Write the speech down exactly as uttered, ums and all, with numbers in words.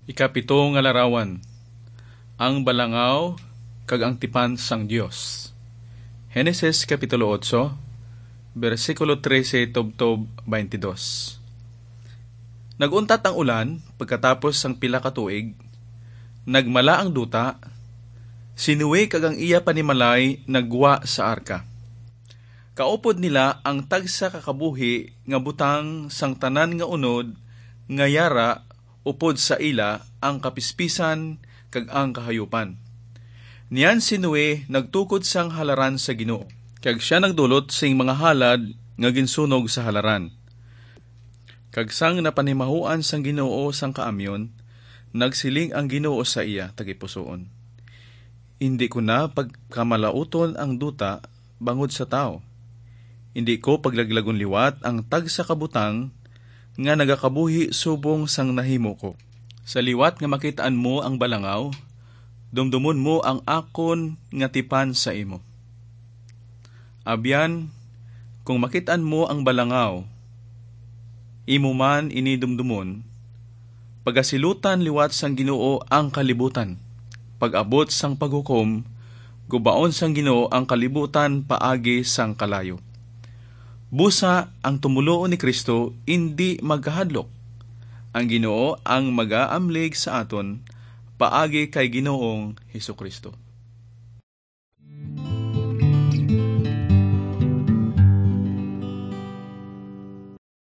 Ikapito nga larawan, ang balangaw kag ang tipan sang Dios. Henesis Kapitulo otso, bersikulo trese tubtob twenty-dos. Nag-untat ang ulan pagkatapos sang pila ka tuig, nagmala ang duta, si Noe kag ang iya panimalay naggwa sa arka. Kaupod nila ang tagsa ka kabuhi nga butang sang tanan nga unod nga yara upod sa ila ang kapispisan kag ang kahayupan. Niyan si Noe nagtukod sang halaran sa Ginoo, kag sia nagdulot sing mga halad nga ginsunog sa halaran. Kag sang napanimahuan sang Ginoo sang kaamyon, nagsiling ang Ginoo sa iya tagipusoon, "Indi ko na pagkamalauton ang duta bangod sa tawo. Indi ko paglaglagon liwat ang tagsa ka butang nga nagakabuhi subong sang nahimo ko. Sa liwat nga makit-an mo ang balangaw, dumdumon mo ang akon nga tipan sa imo. Abyan, kung makit-an mo ang balangaw, imo man ini dumdumon, pagasilutan liwat sang Ginoo ang kalibutan, pag-abot sang paghukom, gubaon sang Ginoo ang kalibutan paagi sang kalayo." Busa ang tumoluo ni Cristo indi magkahadlok. Ang Ginoo ang magaamlig sa aton paagi kay Ginoong Jesu-Cristo.